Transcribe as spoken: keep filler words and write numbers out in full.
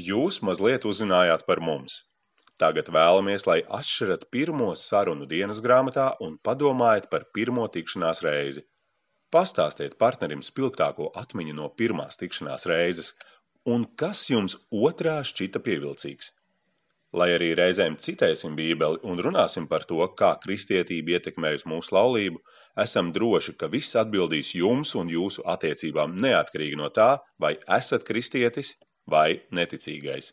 Jūs mazliet uzzinājāt par mums. Tagad vēlamies, lai atšķirat pirmo sarunu dienas grāmatā un padomājat par pirmo tikšanās reizi. Pastāstiet partnerim spilgtāko atmiņu no pirmās tikšanās reizes, un kas jums otrā šķita pievilcīgs. Lai arī reizēm citēsim Bībeli un runāsim par to, kā kristietība ietekmējusi mūsu laulību, esam droši, ka viss atbildīs jums un jūsu attiecībām neatkarīgi no tā, vai esat kristietis vai neticīgais.